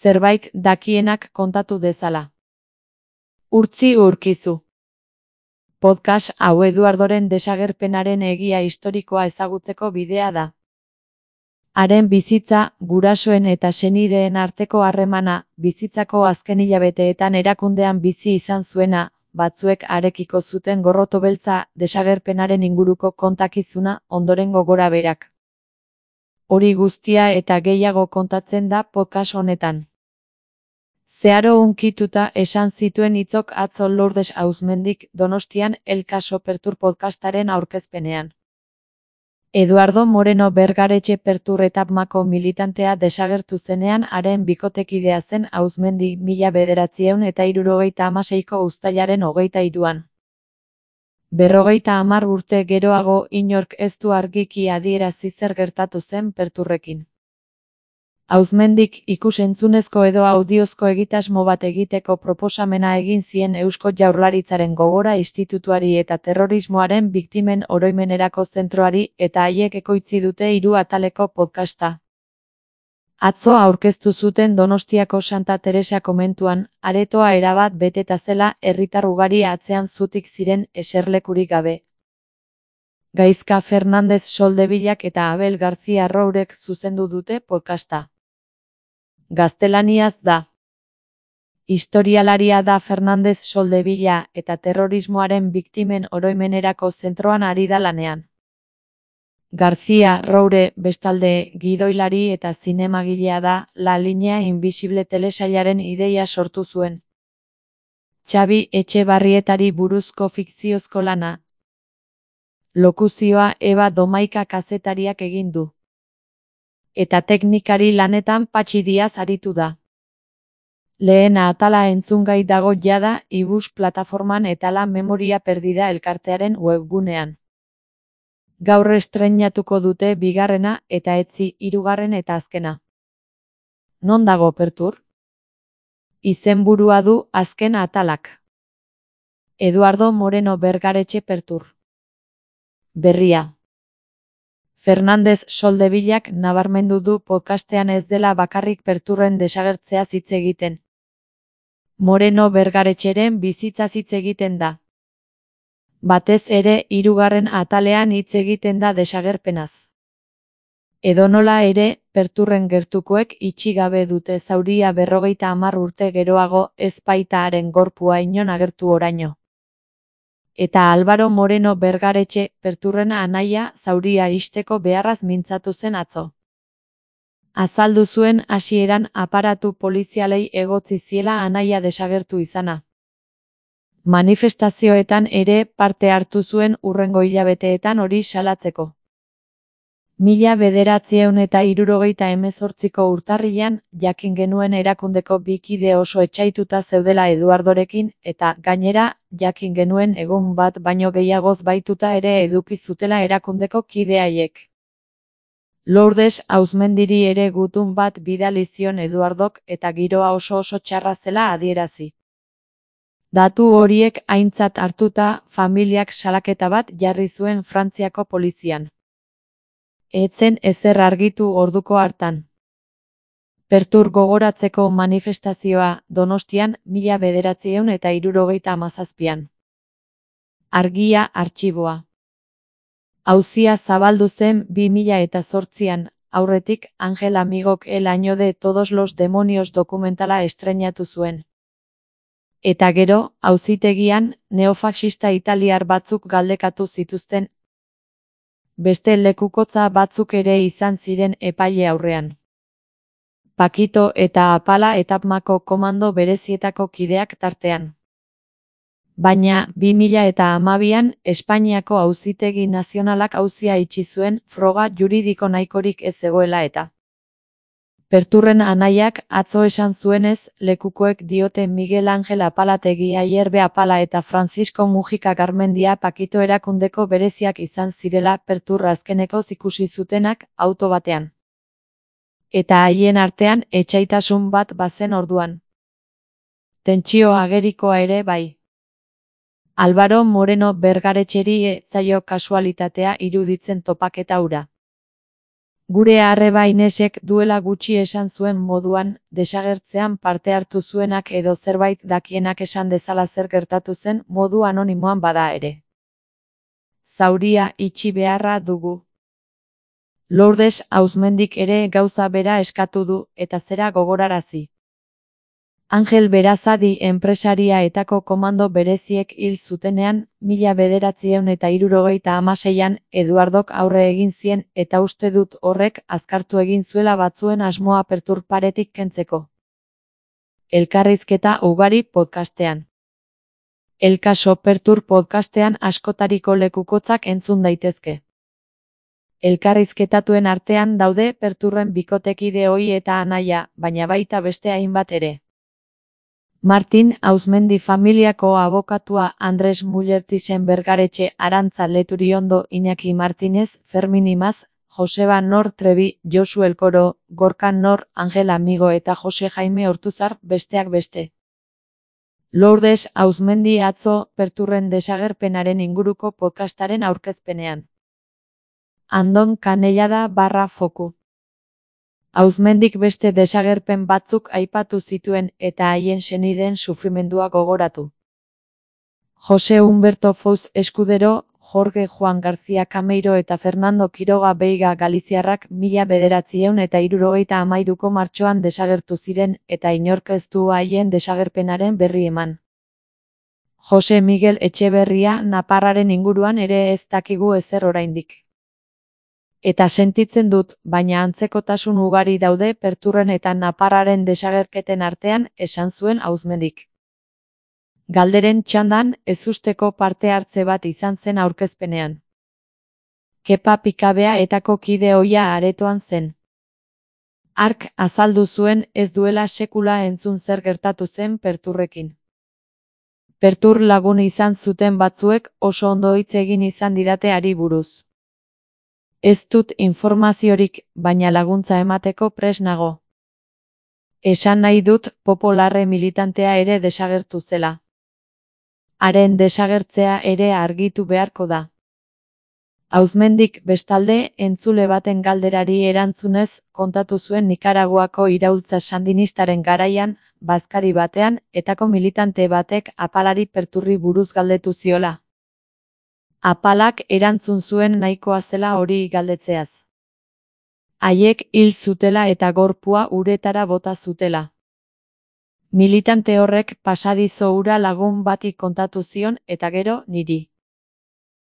zerbait dakienak kontatu dezala. Urtzi urkizu. Podcast hau Eduardoren desagerpenaren egia historikoa ezagutzeko bidea da. Haren bizitza, gurasoen eta senideen arteko harremana, bizitzako azken hilabeteetan erakundean bizi izan zuena, batzuek harekiko zuten gorroto beltza, desagerpenaren inguruko kontakizuna, ondorengo gorabeherak. Hori guztia eta gehiago kontatzen da podcast honetan. Zeharo hunkituta esan zituen hitzok atzo Lourdes Auzmendik Donostian El Caso Pertur podcastaren aurkezpenean. Eduardo Moreno Bergaretxe Pertur etapmako militantea desagertu zenean haren bikotekidea zen Auzmendi 1976ko uztailaren 23an. 50 urte geroago inork ez du argiki adierazi zer gertatu zen Perturrekin. Auzmendik ikus-entzunezko edo audiozko egitasmo bat egiteko proposamena egin zien Eusko Jaurlaritzaren Gogora Institutuari eta Terrorismoaren Biktimen Oroimenerako Zentroari eta haiek ekoitzi dute 3 ataleko podcasta. Atzo aurkeztu zuten Donostiako Santa Teresa komentuan, aretoa erabat beteta zela herritar ugari atzean zutik ziren eserlekurik gabe. Gaizka Fernandez Soldevillak eta Abel García Rourek zuzendu dute podcasta. Gaztelaniaz da. Historialaria da Fernandez Soldevilla eta terrorismoaren biktimen oroimenerako zentroan ari da lanean. García Roure bestalde gidoilari eta zinemagilea da, La Línea Invisible telesailaren ideia sortu zuen. Xabi Etxebarrietari buruzko fikziozko lana. Lokuzioa Eba Domaika kazetariak egin du. Eta teknikari lanetan Patxi Diaz aritu da. Lehena atala entzungai dago jada iBus plataforman eta La Memoria Perdida elkartearen webgunean. Gaur estreinatuko dute bigarrena eta etzi 3. eta azkena. Non dago Pertur? Izenburua du azken atalak. Eduardo Moreno Bergaretxe Pertur. Berria. Fernandez Soldevillak nabarmendu du podcastean ez dela bakarrik Perturren desagertzea hitz egiten. Moreno Bergaretxeren bizitza hitz egiten da. Batez ere 3. atalean hitz egiten da desagerpenaz. Edonola ere, Perturren gertukoek itxi gabe dute zauria 50 urte geroago ez baita haren gorpua inon agertu oraino. Eta Álvaro Moreno Bergaretxe Perturren anaia zauria ixteko beharraz mintzatu zen atzo. Azaldu zuen hasieran aparatu polizialei egotzi ziela anaia desagertu izana. Manifestazioetan ere parte hartu zuen hurrengo hilabeteetan hori salatzeko. 1978ko urtarrilean jakin genuen erakundeko 2 kide oso etsaituta zeudela Eduardorekin eta gainera jakin genuen egun bat baino gehiagoz baituta ere eduki zutela erakundeko kide haiek. Lourdes Auzmendiri ere gutun bat bidali zion Eduardok eta giroa oso txarra zela adierazi. Datu horiek aintzat hartuta familiak salaketa bat jarri zuen Frantziako polizian. Etzen ezer argitu orduko hartan. Pertur gogoratzeko manifestazioa Donostian 1977an. Argia artxiboa. Auzia zabaldu zen 2008an, aurretik Angel Amigok El año de todos los demonios dokumentala estreinatu zuen. Eta gero, auzitegian, neofaxista italiar batzuk galdekatu zituzten. Beste lekukotza batzuk ere izan ziren epaile aurrean. Pakito eta Apala etapmako komando berezietako kideak tartean. Baina, 2012an, Espainiako Auzitegi Nazionalak auzia itxi zuen froga juridiko nahikorik ez zegoela eta. Perturren anaiak atzo esan zuenez, lekukoek diote Miguel Ángel Apalategi Ayerbe Apala eta Francisco Mujica Garmendia Pakito erakundeko bereziak izan zirela Pertur azkeneko ikusi zutenak auto batean. Eta haien artean etsaitasun bat bazen orduan. Tentsio agerikoa ere bai. Álvaro Moreno Bergaretxeri ez zaio kasualitatea iruditzen topaketa hura. Gure arreba Inesek duela gutxi esan zuen moduan, desagertzean parte hartu zuenak edo zerbait dakienak esan dezala zer gertatu zen modu anonimoan bada ere. Zauria itxi beharra dugu. Lourdes Auzmendik ere gauza bera eskatu du, eta zera gogorarazi. Angel Berazadi enpresaria etako komando bereziek hil zutenean, 1976an Eduardok aurre egin zien eta uste dut horrek azkartu egin zuela batzuen asmoa Pertur paretik kentzeko. Elkarrizketa ugari podcastean. El Caso Pertur podcastean askotariko lekukotzak entzun daitezke. Elkarrizketatuen artean daude Perturren bikotekide ohi eta anaia, baina baita beste hainbat ere. Martin Auzmendi familiako abokatua Andres Mullertisen Bergaretxe Arantza Leturiondo Iñaki Martínez Fermin Imaz, Joseba Nor Trebi, Josu Elkoro, Gorka Nor, Angel Amigo eta Jose Jaime Ortuzar besteak beste. Lourdes Auzmendi atzo Perturren desagerpenaren inguruko podcastaren aurkezpenean. Andon Canellada /foku. Auzmendik beste desagerpen batzuk aipatu zituen eta haien senideen sufrimendua gogoratu. Jose Humberto Fouz Escudero, Jorge Juan García Cameiro eta Fernando Quiroga Veiga Galiziarrak 1973ko martxoan desagertu ziren eta inork ez du haien desagerpenaren berri eman. Jose Miguel Etxeberria Naparraren inguruan ere ez dakigu ezer oraindik. Eta sentitzen dut, baina antzekotasun ugari daude Perturren eta Naparraren desagerketen artean, esan zuen Auzmendik. Galderen txandan, ezusteko parte hartze bat izan zen aurkezpenean. Kepa Pikabea etako kide ohia aretoan zen. Hark azaldu zuen ez duela sekula entzun zer gertatu zen Perturrekin. Pertur lagun izan zuten batzuek oso ondo hitz egin izan didate hari buruz. Ez dut informaziorik, baina laguntza emateko prest nago. Esan nahi dut Popularre militantea ere desagertu zela. Haren desagertzea ere argitu beharko da. Auzmendik bestalde entzule baten galderari erantzunez kontatu zuen Nikaraguako iraultza sandinistaren garaian, bazkari batean, etako militante batek Apalari Perturri buruz galdetu ziola. Apalak erantzun zuen nahikoa zela hori galdetzeaz. Haiek hil zutela eta gorpua uretara bota zutela. Militante horrek pasadizo hura lagun bati kontatu zion eta gero niri.